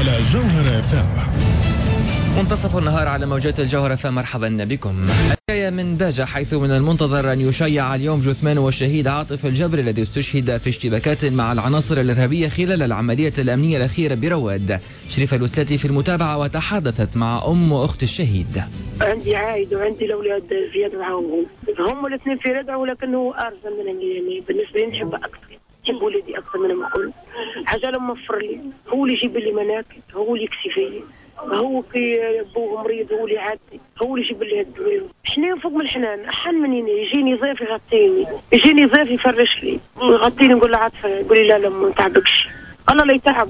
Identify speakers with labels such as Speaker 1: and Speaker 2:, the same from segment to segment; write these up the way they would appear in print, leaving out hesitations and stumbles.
Speaker 1: على جوهرة FM.
Speaker 2: منتصف النهار على موجات الجوهرة، فمرحبا بكم. حكاية من باجة، حيث من المنتظر أن يشيع اليوم جثمان والشهيد عاطف الجبري الذي استشهد في اشتباكات مع العناصر الإرهابية خلال العملية الأمنية الأخيرة برواد. شريفة الوسلاتي في المتابعة وتحدثت مع أم وأخت الشهيد.
Speaker 3: عندي عايد وعندي الأولاد زياد وعاون، هم الاثنين في ردع ولكنه أرزن منهم، يعني بالنسبة لي نحب أكثر، نحب ولدي أكثر منهم الكل. حاجة لما وفر لي، هو اللي يجيب لي مناكب، هو اللي يكسي فيا، هو كي بوه مريض هو اللي عادي، هو اللي يجيب لي الدواء. حنين فوق من الحنان، احن مني، يجيني ضيف يغطيني، يجيني ضيف يفرش لي ويغطيني، نقول له عاطفة، يقول لي لا لا ما نتعبكش، الله لا يتعب.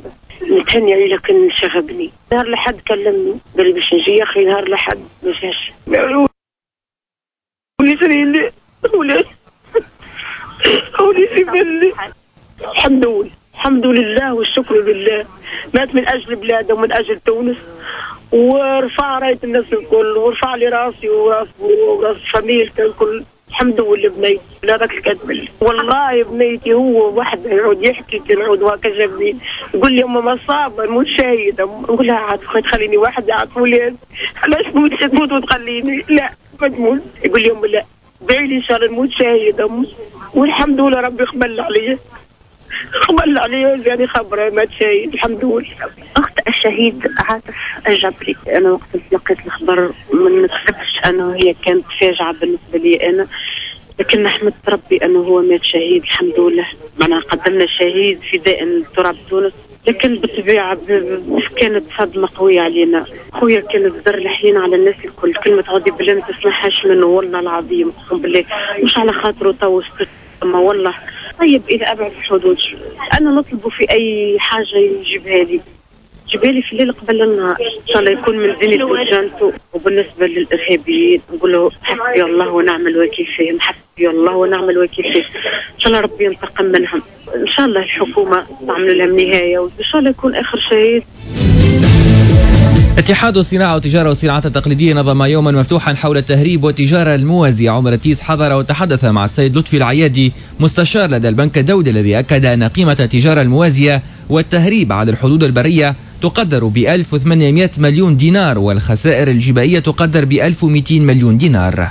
Speaker 3: نتهني عليه لكن شغبني. نهار لحد كلمني قال لي باش نجي، يا اخي نهار لحد ما جاش. ولي ولي ولي الحمد لله، الحمد لله والشكر لله. مات من اجل بلاده ومن اجل تونس، ورفع رايه الناس الكل، ورفع لي راسي وراس وراس فاميلتي الكل. الحمد لله بنيتي، لا راك الكاتب والله بنيتي. هو وحده يعود يحكي يعود وهكا جابني يقول لي امي ما صاب نموت شهيده، نقول لها عاد تخليني وحدي، عاد ولاد علاش تموت وتخليني؟ لا ما تموت. يقول لي امي لا دعي لي ان شاء الله نموت شهيده، والحمد لله ربي قبل عليا، قبل عليا يعني خبره مات شهيد الحمد لله.
Speaker 4: اخت الشهيد عاطف الجبري، انا وقت تلقيت الخبر ما نكذبش انه هي كانت فاجعة بالنسبة لي انا، لكن حمدت ربي انه هو مات شهيد الحمد لله. معناها قدمنا شهيد فداء لتراب تونس، لكن بالطبيعة كانت صدمة قوية علينا. خويا كان الزر الحنين على الناس الكل، كلمة عودي بالله ما تسمعهاش منه والله العظيم، اقسم بالله مش على خاطره تو ما والله طيب الى ابعد الحدود. انا نطلبه في اي حاجة يجيبها لي، يجيبها لي في الليل قبل النهار، ان شاء الله يكون من زينة وجنته. وبالنسبة للارهابيين نقول له حسبي الله ونعم الوكيل فيهم، حسبي الله ونعم الوكيل فيهم، ان شاء الله ربي ينتقم منهم، ان شاء الله الحكومة تعمل لهم نهاية، وان شاء الله يكون اخر شهيد.
Speaker 2: اتحاد الصناعة والتجارة والصناعات التقليدية نظم يوما مفتوحا حول التهريب والتجارة الموازية. عمر التيس حضر وتحدث مع السيد لطفي العيادي مستشار لدى البنك الدولي الذي أكد أن قيمة التجارة الموازية والتهريب على الحدود البرية تقدر ب 1800 مليون دينار، والخسائر الجبائية تقدر ب 1200 مليون دينار.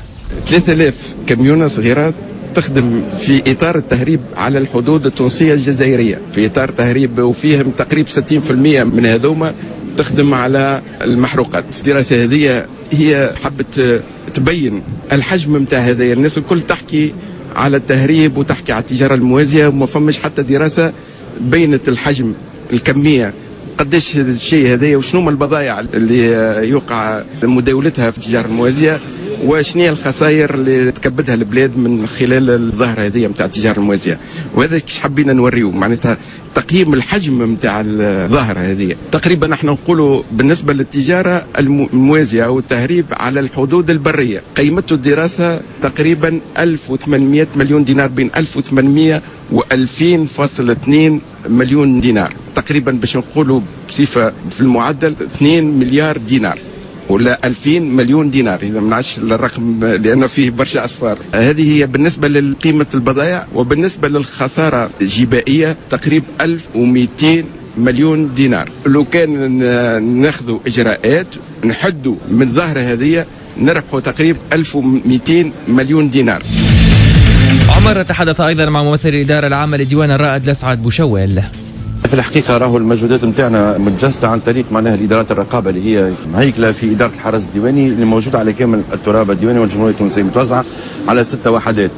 Speaker 5: 3000 كميونة صغيرة تخدم في إطار التهريب على الحدود التونسية الجزائرية، في إطار تهريب، وفيهم تقريبا 60% من هذوما تخدم على المحروقات. الدراسة هذه هي حبت تبين الحجم نتاع هذايا. الناس الكل تحكي على التهريب وتحكي على التجارة الموازية، وما فماش حتى دراسة بينت الحجم، الكمية، قداش الشيء هذايا، وشنو هما البضائع اللي يوقع مداولتها في التجارة الموازية، وشنو هي الخسائر اللي تكبدها البلاد من خلال الظاهرة هذه نتاع التجارة الموازية. وهذا كيش حبينا نوريو، معناتها تقييم الحجم نتاع الظاهرة هذه. تقريبا نحن نقولوا بالنسبة للتجارة الموازية أو التهريب على الحدود البرية، قيمته الدراسة تقريبا 1800 مليون دينار، بين 1800 و 2000.2 مليون دينار تقريبا، باش نقولوا بصفة في المعدل 2 مليار دينار ولا 2000 مليون دينار، إذا ما نعرفش الرقم لأنه فيه برشا أصفار. هذه هي بالنسبة لقيمة البضائع. وبالنسبة للخسارة الجبائية تقريبا 1200 مليون دينار. لو كان ناخذ إجراءات نحدوا من الظاهرة هذه نربحوا تقريبا 1200 مليون دينار.
Speaker 2: عمر تحدث أيضا مع ممثل الإدارة العامة لديوان الرائد لسعد بوشوال.
Speaker 6: في الحقيقة راهو المجهودات نتاعنا متجسدة عن طريق معناها الإدارات الرقابة اللي هي مهيكلة في إدارة الحرس الديواني اللي موجودة على كامل التراب الديواني والجمهورية التونسية، متوزعة على 6 وحدات.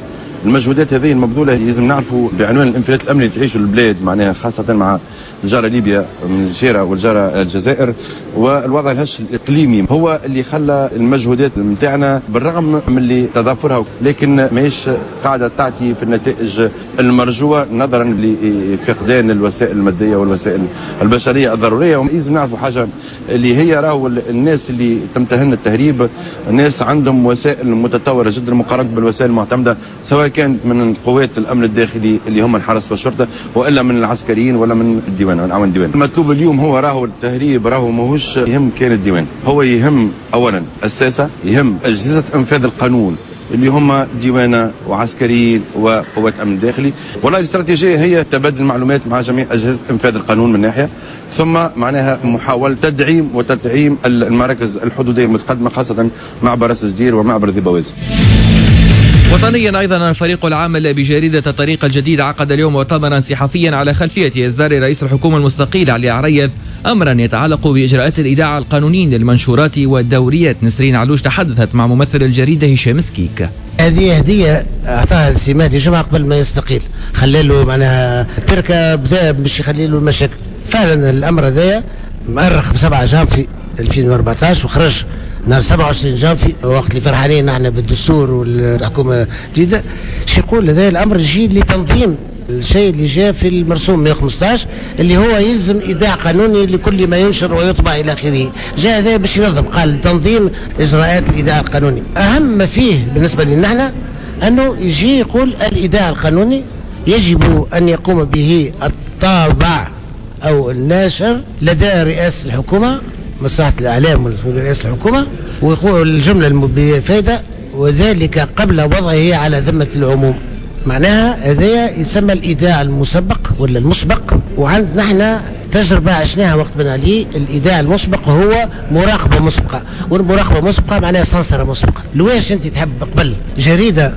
Speaker 6: المجهودات هذه المبذولة لازم نعرفوا بعنوان الانفلات الأمني اللي تعيشه البلاد، معناها خاصة مع الجارة ليبيا من الجيرة والجارة الجزائر، والوضع الهش الإقليمي هو اللي خلى المجهودات نتاعنا بالرغم من اللي تضافرها، لكن ماهيش قاعدة تعطي في النتائج المرجوة نظرا لفقدان الوسائل المادية والوسائل البشرية الضرورية. ولازم نعرفوا حاجة اللي هي راهو الناس اللي تمتهن التهريب الناس عندهم وسائل متطورة جدا مقارنة بالوسائل المعتمدة، سواء كانت من قوات الامن الداخلي اللي هم الحرس والشرطة، والا من العسكريين ولا من الديوان من عون الديوان. المطلوب اليوم هو راهو التهريب راهو ماهوش يهم كان الديوان، هو يهم اولا الساسه، يهم اجهزة انفاذ القانون اللي هم ديوانه وعسكريين وقوات امن داخلي. والله الاستراتيجية هي تبادل المعلومات مع جميع اجهزة انفاذ القانون من ناحية، ثم معناها محاولة تدعيم وتدعيم المراكز الحدوديه المتقدمة خاصة معبر راس جدير ومعبر ذي بوازي.
Speaker 2: وطنيا أيضا، الفريق العامل بجريدة الطريق الجديد عقد اليوم مؤتمرا صحفيا على خلفية إصدار رئيس الحكومة المستقيل علي عريض أمرا يتعلق بإجراءات الإيداع القانوني للمنشورات والدوريات. نسرين علوش تحدثت مع ممثل الجريدة هشام سكيك.
Speaker 1: هذه هدية أعطاها السي مهدي جمعة قبل ما يستقيل، خلى معناها تركة بدا باش يخلي له المشاكل. فعلا الأمر هذايا مؤرخ ب 7 جانفي 2014 وخرج نهار 27 جانفي وقت اللي فرحانين نحن بالدستور والحكومة الجديدة. شو يقول هذا الامر؟ يجي لتنظيم الشيء اللي جاء في المرسوم 115 اللي هو يلزم ايداع قانوني لكل ما ينشر ويطبع الى اخره. جاء هذا باش ينظم، قال تنظيم اجراءات الايداع القانوني. اهم ما فيه بالنسبة لنا نحن انه يجي يقول الايداع القانوني يجب ان يقوم به الطابع او الناشر لدى رئاسة الحكومة، مصلحة الإعلام ورئاسة الحكومة، ويقول الجملة المفيدة وذلك قبل وضعه على ذمة العموم. معناها هذا يسمى الإيداع المسبق ولا المسبق. وعندنا احنا تجربة عشناها وقت بن علي، الإيداع المسبق هو مراقبة مسبقة، والمراقبة مسبقة معناها سنسرة مسبقة. لواش أنت تحب قبل جريدة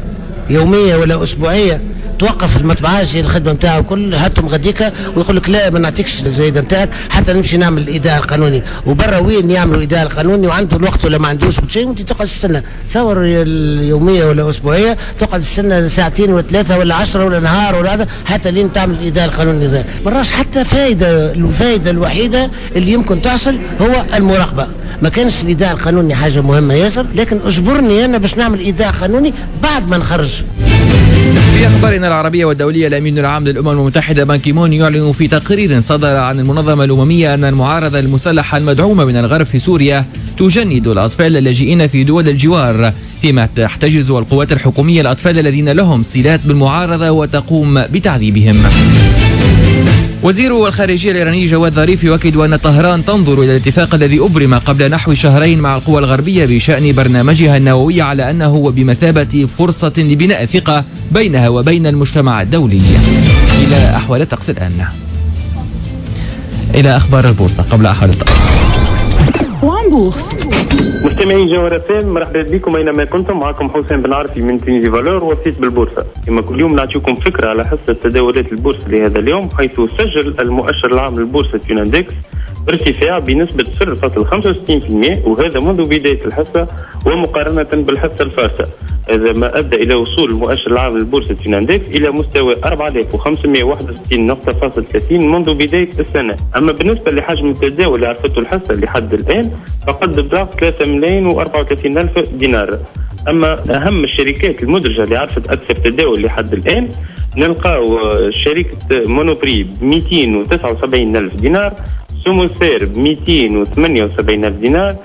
Speaker 1: يومية ولا أسبوعية توقف المطبعاجي الخدمة نتاعو كل هاتهم غديكا ويقول لك لا ما نعطيكش الجريدة نتاعك حتى نمشي نعمل الايداع القانوني، وبرا وين يعملوا الايداع القانوني وعنده الوقت ولا ما عندوش شيء، وانت تقعد تستنى. تصور اليومية ولا اسبوعية تقعد تستنى ساعتين ولا ثلاثة ولا 10 ولا نهار ولا هذا حتى لين تعمل الايداع القانوني. ذا ما راش حتى فائدة. الفائدة الوحيدة اللي يمكن تحصل هو المراقبة. ما كانش الايداع القانوني حاجة مهمة ياسر، لكن اجبرني انا باش نعمل ايداع قانوني بعد ما نخرج.
Speaker 2: في أخبارنا العربية والدولية، الأمين العام للأمم المتحدة بان كيمون يعلن في تقرير صدر عن المنظمة الأممية أن المعارضة المسلحة المدعومة من الغرب في سوريا تجند الأطفال اللاجئين في دول الجوار، فيما تحتجز القوات الحكومية الأطفال الذين لهم صلات بالمعارضة وتقوم بتعذيبهم. وزير الخارجية الإيراني جواد ظريف يؤكد أن طهران تنظر إلى الاتفاق الذي أبرم قبل نحو شهرين مع القوى الغربية بشأن برنامجها النووي على أنه بمثابة فرصة لبناء ثقة بينها وبين المجتمع الدولي. إلى أحوال الطقس الآن. إلى أخبار البورصة قبل أحوال الطقس.
Speaker 7: مستمعين جوهرة FM، مرحبا بكم اينما كنتم. معكم حسين بن عرفي من Tunisie Valeurs وسيط بالبورصه. كما كل يوم نعطيكم فكرة على حصة تداولات البورصة لهذا اليوم، حيث سجل المؤشر العام للبورصه Tunindex ارتفاع بنسبة 0.65%، وهذا منذ بداية الحصة ومقارنة بالحصه الفارسه. هذا ما ادى الى وصول المؤشر العام للبورصه Tunindex الى مستوى 4561.30 منذ بداية السنة. اما بالنسبة لحجم التداول اللي عرفته الحصة لحد الان فقد بلغ 3,034,000 دينار. اما اهم الشركات المدرجة اللي عرفت اكثر تداول لحد الان نلقاو شركة Monoprix ب 279,000 دينار، سوموسير ب 278,000 دينار،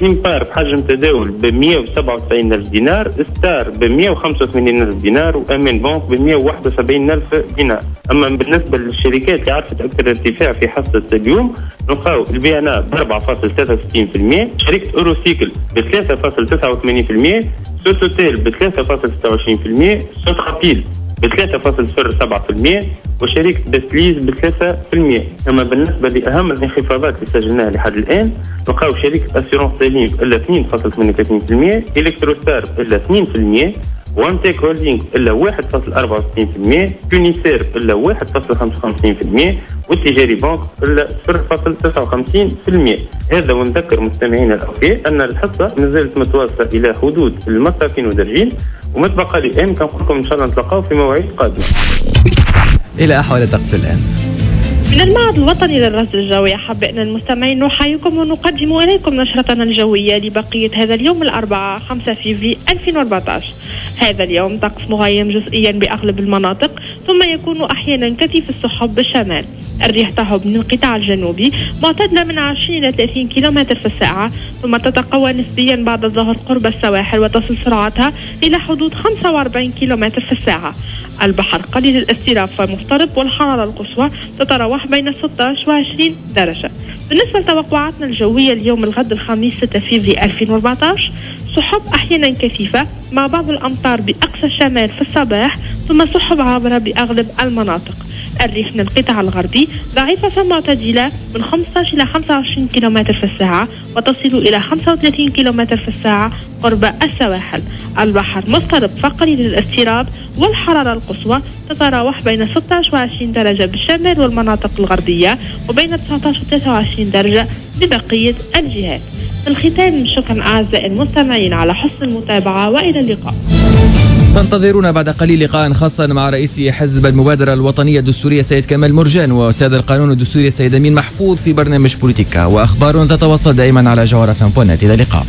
Speaker 7: SIMPAR بحجم تداول ب 197,000 دينار، ستار ب 185,000 دينار، وامان بنك ب 171,000 دينار. اما بالنسبة للشركات اللي عرفت اكثر ارتفاع في حصة اليوم نلقاو ال BNA ب 4.63%، شركة Eurocycle ب 3.89%، سوتوتيل ب 3.26%، سوترابيل ب 3.07%، وشركة بسليز ب 3%. أما بالنسبة لأهم الانخفاضات اللي سجلناها لحد الآن نلقاو شركة Assurances سليم إلا 2.38%، Electrostar إلا 2%، وانتيك هولدينغ إلا 1.64%، Tunisair إلا 1.55%، والتجاري بنك إلا 0.59%. هذا ونذكر مستمعينا الأوفياء أن الحصة مازالت متواصلة إلى حدود المسافين ودرجين، وما تبقى لي الآن كنقول لكم إن شاء الله نتلاقاو في مواعيد قادمة.
Speaker 2: إلى أحوال الطقس الآن.
Speaker 8: من المعهد الوطني للرصد الجوي أحبائنا المستمعين نحييكم ونقدم إليكم نشرتنا الجوية لبقية هذا اليوم الأربعاء 5 فيفري 2014. هذا اليوم طقس مغيم جزئيا بأغلب المناطق، ثم يكون أحيانا كثيف السحب بالشمال. الريح تهب من القطاع الجنوبي معتدلة من 20 إلى 30 كيلومتر في الساعة، ثم تتقوى نسبيا بعد الظهر قرب السواحل وتصل سرعتها إلى حدود 45 كيلومتر في الساعة. البحر قليل الاضطراب ومضطرب، والحرارة القصوى تتراوح بين 16 و 20 درجة. بالنسبة لتوقعاتنا الجوية اليوم الغد الخميس 6 فيفري 2014، سحب أحيانا كثيفة مع بعض الأمطار بأقصى الشمال في الصباح، ثم سحب عابرة بأغلب المناطق. الريح من القطاع الغربي ضعيفة فمعتدلة من 15 إلى 25 كم في الساعة وتصل إلى 35 كم في الساعة قرب السواحل. البحر مضطرب فقليل الاضطراب، والحرارة القصوى تتراوح بين 16 و 20 درجة بالشمال والمناطق الغربية وبين 19 و 23 درجة ببقية الجهات. في الختام شكرا أعزائي المستمعين على حسن المتابعة وإلى اللقاء.
Speaker 2: تنتظرون بعد قليل لقاء خاصا مع رئيس حزب المبادرة الوطنية الدستورية سيد كمال مرجان وأستاذ القانون الدستوري سيد أمين محفوظ في برنامج بوليتيكا، وأخبار تتواصل دائما على جوهرة FM. إلى اللقاء.